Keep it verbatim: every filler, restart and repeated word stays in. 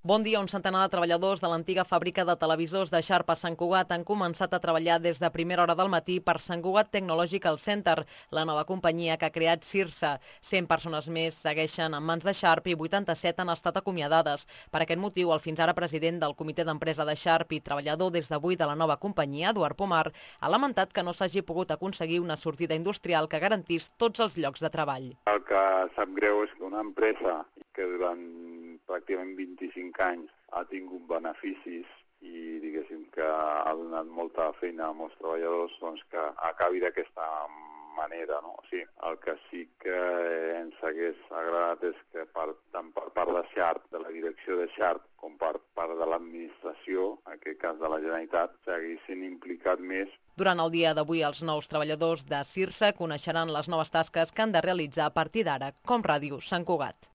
Bon dia. Un centenar de treballadors de l'antiga fàbrica de televisors de Sharp a Sant Cugat han començat a treballar des de primera hora del matí per Sant Cugat Technological Center, la nova companyia que ha creat Cirsa. cent persones més segueixen en mans de Sharp i vuitanta-set han estat acomiadades. Per aquest motiu, el fins ara president del comitè d'empresa de Sharp i treballador des d'avui de la nova companyia, Eduard Pomar, ha lamentat que no s'hagi pogut aconseguir una sortida industrial que garantís tots els llocs de treball. El que sap greu és que una empresa que durant pràcticament vint-i-cinc anys ha tingut beneficis i diguéssim que ha donat molta feina a molts treballadors, doncs que acabi d'aquesta manera, no? O sigui, el que sí que ens hagués agradat és que per, tant per part de Sharp, de la direcció de Sharp, com per part de l'administració, en aquest cas de la Generalitat, s'haguessin implicat més. Durant el dia d'avui, els nous treballadors de Cirsa coneixeran les noves tasques que han de realitzar a partir d'ara, com Ràdio Sant Cugat.